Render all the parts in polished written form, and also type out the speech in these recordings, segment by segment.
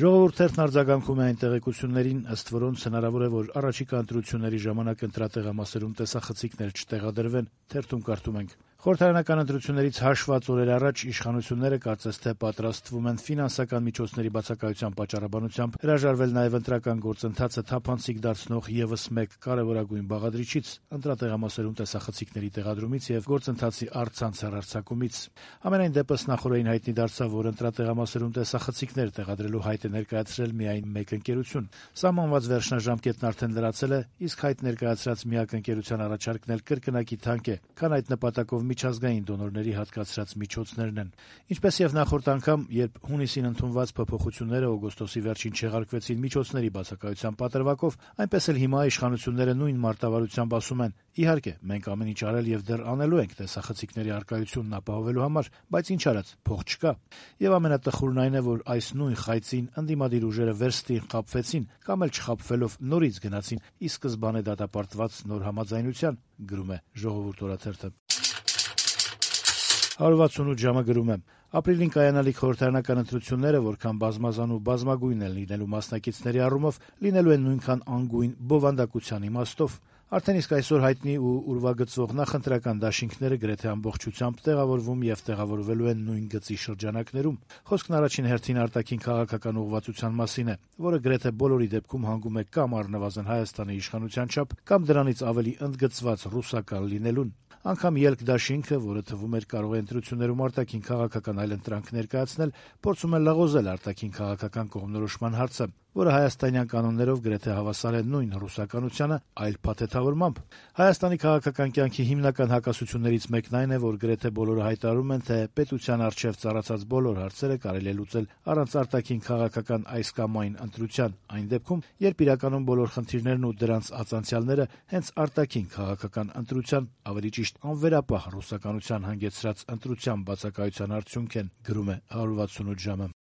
Ժողովուրդ թերթն արձագանքում է այն տեղեկություններին, ըստ որոնց հնարավոր է, որ առաջիկա ընտրությունների ժամանակ ընտրատեղամասերում տեսախցիկներ չտեղադրվեն։ Թերթում կարդում ենք. Խորհրդարանական ընտրություններից հաշված օրեր առաջ իշխանությունները կարծես թե պատրաստվում են ֆինանսական միջոցների բացակայության պատճառաբանությամբ հրաժարվել նաև ընտրական գործընթացը թափանցիկ դարձնող ևս մեկ կարևորագույն բաղադրիչից՝ ընտրատեղամասերում տեսախցիկների տեղադրումից եւ գործընթացի առցանց հեռարձակումից։ Ամենայն դեպս նախորդին հայտնի դարձավ, որ ընտրատեղամասերում տեսախցիկներ տեղադրելու հայտ է ներկայացրել միայն մեկ ընկերություն։ Սահմանված վերջնաժամկետն արդեն լրացել է, իսկ հայտ ներկայացրած միակ ընկերության առաջարկն էլ կրկնակի թանկ է, քան այդ նպատակով միջազգային դոնորների հատկացրած միջոցներն են։ Ինչպես եւ նախորդ անգամ, երբ հունիսին ընդունված փոփոխությունները օգոստոսի վերջին չեղարկվեցին միջոցների բացակայության պատրվակով, այնպես էլ հիմա իշխանությունները նույն մարտավարությամբ ասում են. իհարկե, մենք ամեն ինչ արել եւ դեռ անելու ենք տեսախցիկների առկայությունն ապահովելու համար, բայց ինչ արած, փող չկա։ Եվ ամենատխուրն այն է, որ այս նույն խայծին ընդդիմադիր ուժերը վերստին խաբվեցին կամ էլ չխաբվելով նորից գնացին ի սկզբանե դատապարտված նոր համաձայնության, գրում է Ժողովուրդ օրաթերթը։ 168 ժամը գրում է. ապրիլին կայանալիք խորհրդարանական ընտրությունները, որքան բազմազան ու բազմագույն են լինելու մասնակիցների առումով, լինելու են նույնքան անգույն բովանդակության իմաստով։ Արդեն իսկ այսօր հայտնի ու ուրվագծվող նախընտրական դաշինքները գրեթե ամբողջությամբ տեղավորվում եւ տեղավորվելու են նույն գծի շրջանակներում։ Խոսքն առաջին հերթին արտաքին քաղաքական ուղղվածության մասին է, որը գրեթե բոլորի դեպքում հանգում է կամ առնվազն Հայաստանի իշխանության չափ, կամ դրանից ավելի ընդգծված ռուսական լինելուն։ Անգամ ելք դաշինքը, որը թվում էր կարող է ընտրություններում արտաքին քաղաքական այլընտրանք ներկայացնել, փորձում է լղոզել արտաքին քաղաքական կողմնորոշման հարցը, որը հայաստանյան կանոններով գրեթե հավասար է նույն ռուսականությանը, այլ փաթեթավորմամբ։ Հայաստանի քաղաքական կյանքի հիմնական հակասություններից մեկն այն է, որ գրեթե բոլորը հայտարարում են, թե պետության առջև ծառացած բոլոր հարցերը կարելի է լուծել առանց արտաքին քաղաքական այս կամ այն ընտրության, այն դեպքում, երբ իրականում բոլոր խնդիրներն ու դրանց ացանցիալները հենց արտաքին քաղաքական ընտրության, ավելի ճիշտ անվերապահ ռուսականության հանգեցրած ընտրության բացակայության արդյունք են, գրում է 168 ժամը։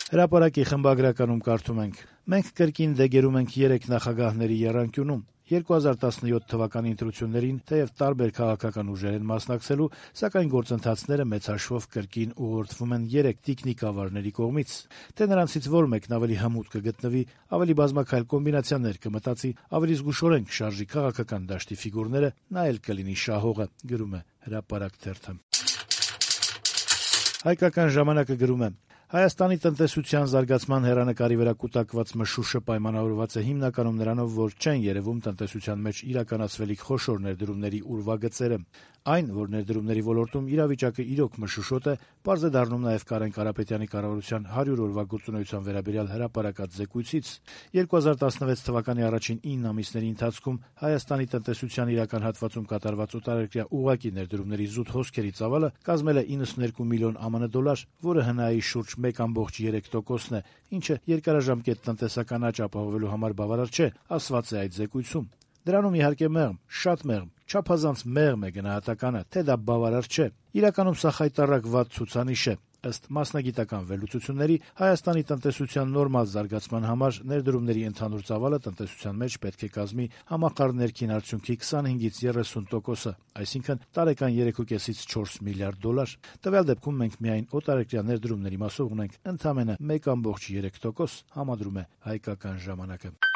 Հրապարակի խմբագրականում կարդում ենք. մենք կրկին դեգերում ենք 3 նախագահների եռանկյունում։ 2017 թվականի ընտրություններին թեև տարբեր քաղաքական ուժեր են մասնակցելու, սակայն գործընթացները մեծ հաշվով կրկին ուղղորդվում են 3 տիկնիկավարների կողմից։ Թե նրանցից որ մեկն ավելի հմուտ կգտնվի, ավելի բազմաքայլ կոմբինացիաներ կմտածի, ավելի զգուշորեն կշարժի քաղաքական դաշտի ֆիգուրները, նա էլ կլինի շահողը, գրում է Հրապարակ թերթը։ Հայկական ժամանակը գրում է. Հայաստանի տնտեսության զարգացման հեռանկարի վրա կուտակված մշուշը պայմանավորված է հիմնականում նրանով, որ չեն երևում տնտեսության մեջ իրականացվելիք խոշոր ներդրումների ուրվագծերը։ Այն, որ ներդրումների ոլորտում իրավիճակը իրոք մշուշոտ է, պարզ է դառնում նաև Կարեն Կարապետյանի կառավարության 100 օրվա գործունեության վերաբերյալ հրապարակած զեկույցից։ 2016 թվականի առաջին 9 ամիսների ընթացքում Հայաստանի տնտեսության իրական հատվածում կատարված օտարերկրյա ուղղակի ներդրումների զուտ հոսքերի ծավալը կազմել է 92 միլիոն ԱՄՆ դոլար, որը ՀՆԱ-ի շուրջ 1.3%-ն է, ինչը երկարաժամկետ տնտեսական աճ ապահովելու համար բավարար չէ, ասված է այդ զեկույցում։ Դրանում իհարկե մեղմ, շատ մեղմ, չափազանց մեղմ է գնահատականը, թե դա բավարար չէ։ Իրականում սա խայտառակ վատ ցուցանիշ է։ Ըստ մասնագիտական վերլուծությունների, Հայաստանի տնտեսության նորմալ զարգացման համար ներդրումների ընդհանուր ծավալը տնտեսության մեջ պետք է կազմի համախառն ներքին արդյունքի 25-ից 30%-ը, այսինքն տարեկան 3.5-ից 4 միլիարդ դոլար։ Տվյալ դեպքում մենք միայն օտարերկրյա ներդրումների մասով ունենք ընդամենը 1.3%, համադրում է Հայկական ժամանակը։